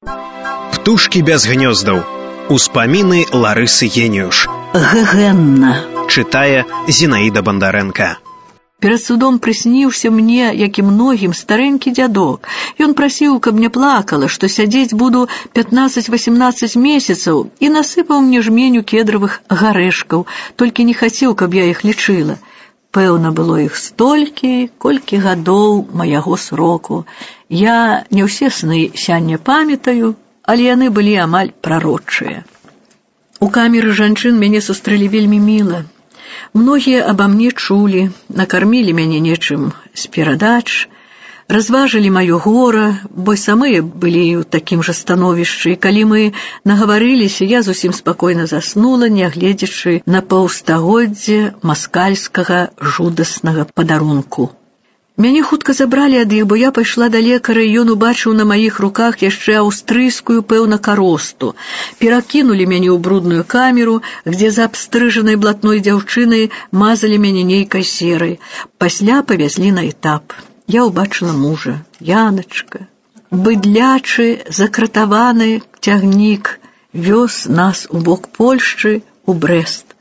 Птушкі без гнёздаў. Успаміны Ларысы Геніюш. Гэгэнна. Чытае Зінаіда Бандарэнка. Перад судом прысніўся мне, як і многім, старэнькі дзядок. Ён прасіў, каб не плакала, што сядзець буду 15-18 месяцаў, і насыпаў мне жменю кедравых гарэшкаў, толькі не хацеў, каб я іх лічыла. Пэўна, было іх столькі, колькі гадоў маяго сроку. Я не ўсе сны сяння памятаю, але яны былі амаль прарочыя. У камеры жанчын мяне сустрэлі вельмі міла. Многія аба мне чулі, накармілі мяне нечым з перадач, разважылі маё гора, бо самыя былі ў такім жа становішчы, і калі мы нагаварыліся, я зусім спакойна заснула, нягледзячы на паўстагоддзе маскальскага жудаснага падарунку. Мяне хутка забралі ад іх, бо я пайшла да лекара, і ён убачыў на маіх руках яшчэ аўстрыйскую, пэўна, каросту. Перакінулі мяне ў брудную камеру, дзе за абстрыжанай блатной дзяўчынай мазалі мяне нейкай серай. Пасля павязлі на этап. Я ўбачыла мужа, Яначка. Быдлячы, закратаваны цягнік вёз нас у бок Польшчы, у Брэст.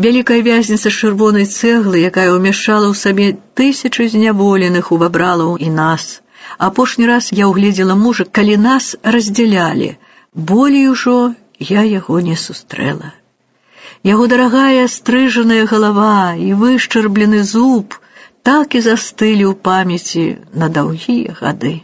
Вялікая вязніца з чырвонай цэглы, якая ўмяшчала ў сабе тысячы зняволеных, увабрала і нас. Апошні раз я ўгледзела мужа, калі нас раздзялялі. Болей ужо я яго не сустрэла. Яго дарагая стрыжаная галава і вышчарблены зуб так і застылі ў памяці на даўгія гады.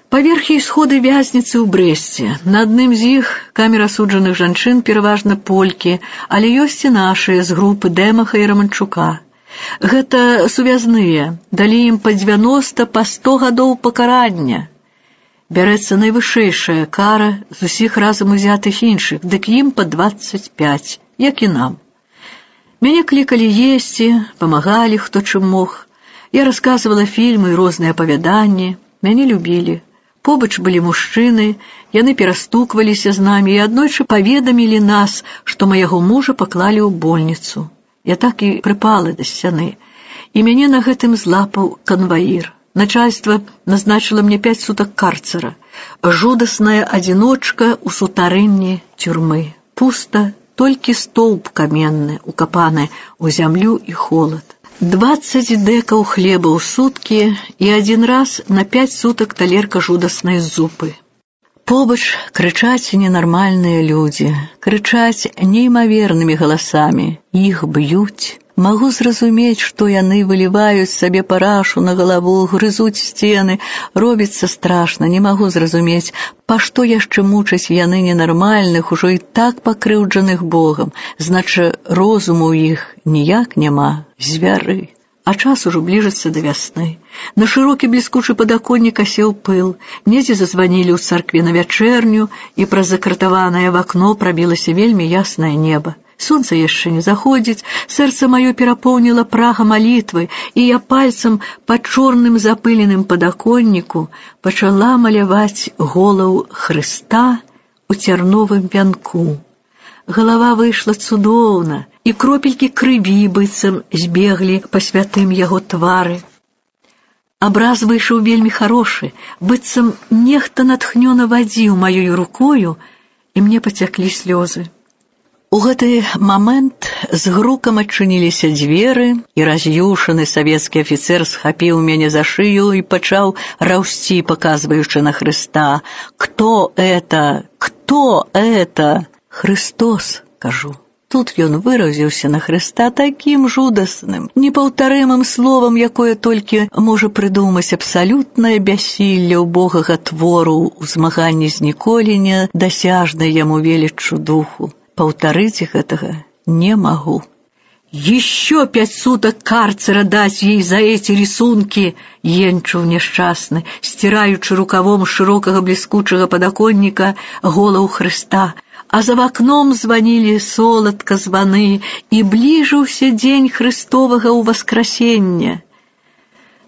Паверхі і сходы вязніцы ў Брэсце. На адным з іх камера асуджаных жанчын, пераважна полькі, але ёсць і нашыя з групы Дэмаха і Раманчука. Гэта сувязныя, далі ім па 90, па 100 гадоў пакарання. Бярэцца найвышэйшая кара з усіх разам узятых іншых, дык ім па 25, як і нам. Мяне клікалі есці, памагалі хто чым мог. Я расказвала фільмы і розныя апавяданні, мяне любілі. Побач былі мужчыны, яны перастукваліся з намі і аднойчы паведамілі нас, што маяго мужа паклалі ў больніцу. Я так і прыпала да сцяны, і мяне на гэтым злапаў канваір. Начальство назначила мне 5 сутак карцера. Жудасная адзіночка ў сутарэнні тюрмы. Пуста, толькі стоўб каменны, укапаны ў зямлю і холад. 20 дэкаў хлеба ў суткі і адзін раз на 5 сутак талерка жудаснай зупы. Побач крычаць ненармальныя людзі, крычаць неймавернымі галасамі, іх б'юць. Магу зразумець, што яны выліваюць сабе парашу на галаву, грызуць сцены, робіцца страшна, не магу зразумець, па што яшчэ мучаць яны ненармальных, ужо і так пакрыўджаных Богам, значы розуму ў іх ніяк няма, звяры. А час ужо бліжыцца да вясны. На шырокі бліскучы падаконнік асеў пыл, недзе зазванілі ў царкве на вячэрню, і праз закратаванае в акно прабілася вельмі яснае неба. Сонца яшчэ не заходзіць, сэрца маё перапоўніла прага малітвы, і я пальцам па чорным запыленым падаконніку пачала маляваць голаў Хрыста у цярновым вянку. Галава выйшла цудоўна, і кропелькі крыві быццам збеглі па святым яго твары. Абраз выйшаў вельмі харошы, быццам нехта натхнёна вадзіў маёю рукою, і мне пацяклі слёзы. У гэты момент з грукам адчыніліся дзверы, і раз'юшаны савецкі афіцэр схапіў мяне за шыю і пачаў раўсці, паказваючы на Хрыста. «Кто это? Кто это?» «Христос», кажу. Тут ён выразіўся на Хрыста такім жудасным, непаўтарымым словам, якое толькі можа прыдумаць абсалютнае бяссілле ўбогага твору ў змаганні з ніколі не дасяжнай яму веліччу духу. Паўтарыць гэтага не магу. «Еще 5 суток карцера дать ей за эти рисунки!» — енчуў няшчасны, стираючы рукавом шырокага бліскучага падаконніка голаў Хрыста. А за вакном званілі соладка званы, і бліжыўся дзень Хрыстовага ўваскрасення.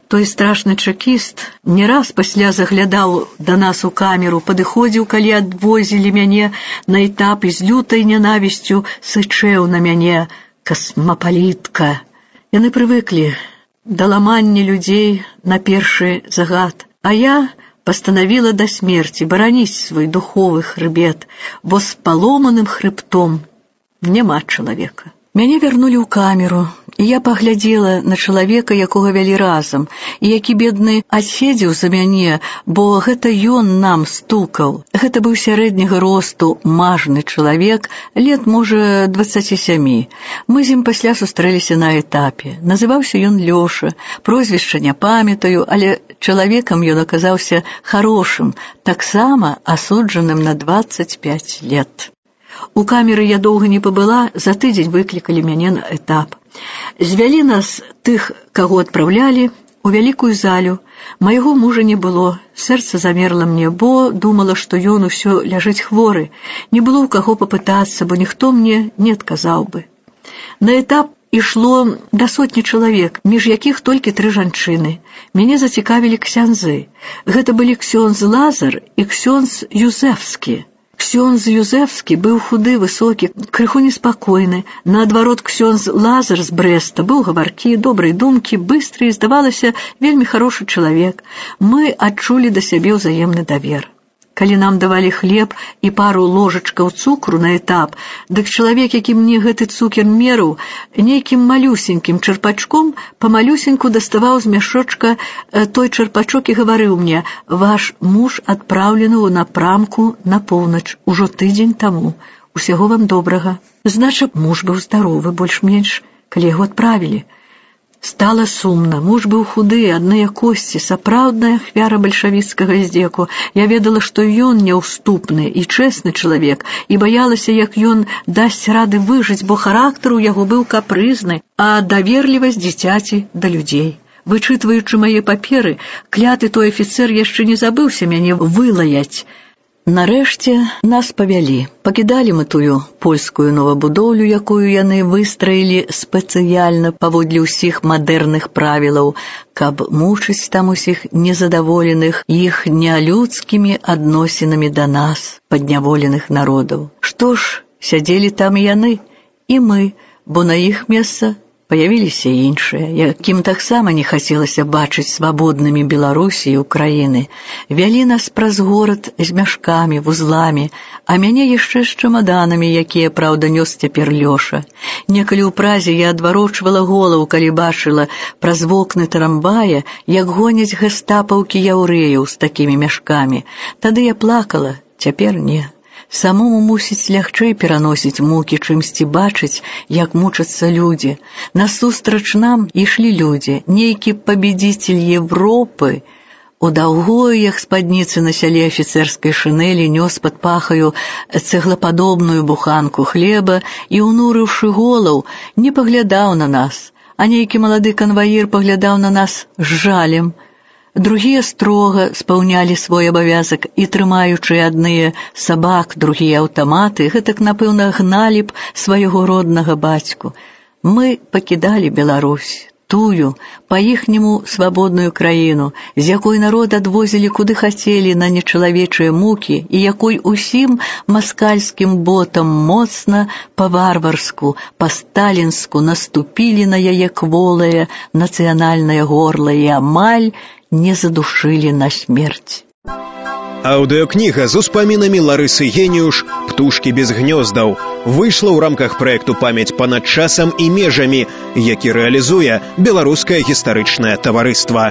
Той страшны чэкіст не раз пасля заглядаў да нас у камеру, падыходзіў, калі адвозілі мяне на этап, і з лютай нянавісцю сычэў на мяне: «Касмапалітка». Яны прывыклі да ламання людзей на першы загад, а я постановила до смерти бараніць свой духовы хребет, бо з паломаным хребтом няма чалавека. Мяне вярнулі ў камеру, і я паглядзела на чалавека, якога вялі разам, і які бедны адседзеў за мяне, бо гэта ён нам стукаў. Гэта быў сярэдняга росту мажны чалавек, лет, можа, 27. Мы з ім пасля сустрэліся на этапе. Называўся ён Лёша, прозвішча не памятаю, але чалавекам ён аказаўся харошым, таксама асуджаным на 25 лет. У камеры я доўга не пабыла, за тыдзень выклікалі мяне на этап. Звялі нас, тых, каго адпраўлялі, у вялікую залю. Майго мужа не было, сэрца замерла мне, бо думала, што ён усё ляжыць хворы. Не было ў каго папытацца, бо ніхто мне не адказаў бы. На этап ішло да сотні чалавек, між якіх толькі 3 жанчыны. Мяне зацікавілі ксяндзы. Гэта былі ксёндз Лазар і ксёндз Юзефскі. Ксёндз Юзефскі быў худы, высокі, крыху неспакойны. Наадварот, ксёндз Лазар з Брэста быў гаваркі, добрай думкі, быстры і, здавалася, вельмі харошы чалавек. Мы адчулі да сябе ўзаемны давер. Калі нам давалі хлеб і пару ложачкаў цукру на этап, дык чалавек, які мне гэты цукер мерыў, нейкім малюсенькім чарпачком памалюсеньку даставаў з мяшочка той чарпачок і гаварыў мне: «Ваш муж адпраўлены ў напрамку на поўнач ужо тыдзень таму. Усяго вам добрага». Значыць, муж быў здаровы, больш-менш, калі яго адправілі. Стала сумна. Муж быў худы, адныя косці, сапраўдная ахвяра бальшавіцкага здзеку. Я ведала, што ён няўступны і чэсны чалавек, і баялася, як ён дасць рады выжыць, бо характар у яго быў капрызны, а даверлівасць дзіцяці да людзей. Вычытваючы мае паперы, кляты той афіцэр яшчэ не забыўся мяне вылаяць. Нарэшце нас павялі. Пакідалі мы тую польскую новабудоўлю, якую яны выстраілі спецыяльна паводле ўсіх мадэрных правілаў, каб мучыць там усіх незадаволеных іх нялюдскімі адносінамі да нас, падняволеных народаў. Што ж, сядзелі там і яны, і мы, бо на іх месца паявіліся іншыя, якім таксама не хацелася бачыць свабоднымі Беларусі і Украіны. Вялі нас праз горад з мяшкамі, вузламі, а мяне яшчэ з чамаданамі, якія, праўда, нёс цяпер Лёша. Некалі ў празе я адварочвала голову, калі бачыла праз вокны трамвая, як гоняць гэстапаўкі яўрэяў з такімі мяшкамі. Тады я плакала, цяпер не. Самому мусіць лягчэй пераносіць мукі, чымсьці бачыць, як мучацца людзі. Насустрач нам ішлі людзі, нейкі пабедзіцель Европы. У даўгоях спадніцы на сяле афіцэрскай шынелі нёс пад пахаю цэглападобную буханку хлеба і, унурыўшы голаў, не паглядаў на нас, а нейкі малады канваір паглядаў на нас з жалем. Другія строга спаўнялі свой абавязак і, трымаючы адныя сабак, другія аўтаматы, гэтак, напэўна, гналі б свайго роднага бацьку. Мы пакідалі Беларусь, тую, па-іхняму свабодную краіну, з якой народ адвозілі куды хацелі на нечалавечыя мукі і якой усім маскальскім ботам моцна па-варварску, па-сталінску наступілі на яе кволае нацыянальнае горла і амаль не задушылі на смерць. Аўдыёкніга з успамінамі Ларысы Геніюш «Птушкі без гнёздаў» выйшла ў рамках праекту «Памяць панад часам і межамі», які рэалізуе Беларускае гістарычнае таварыства.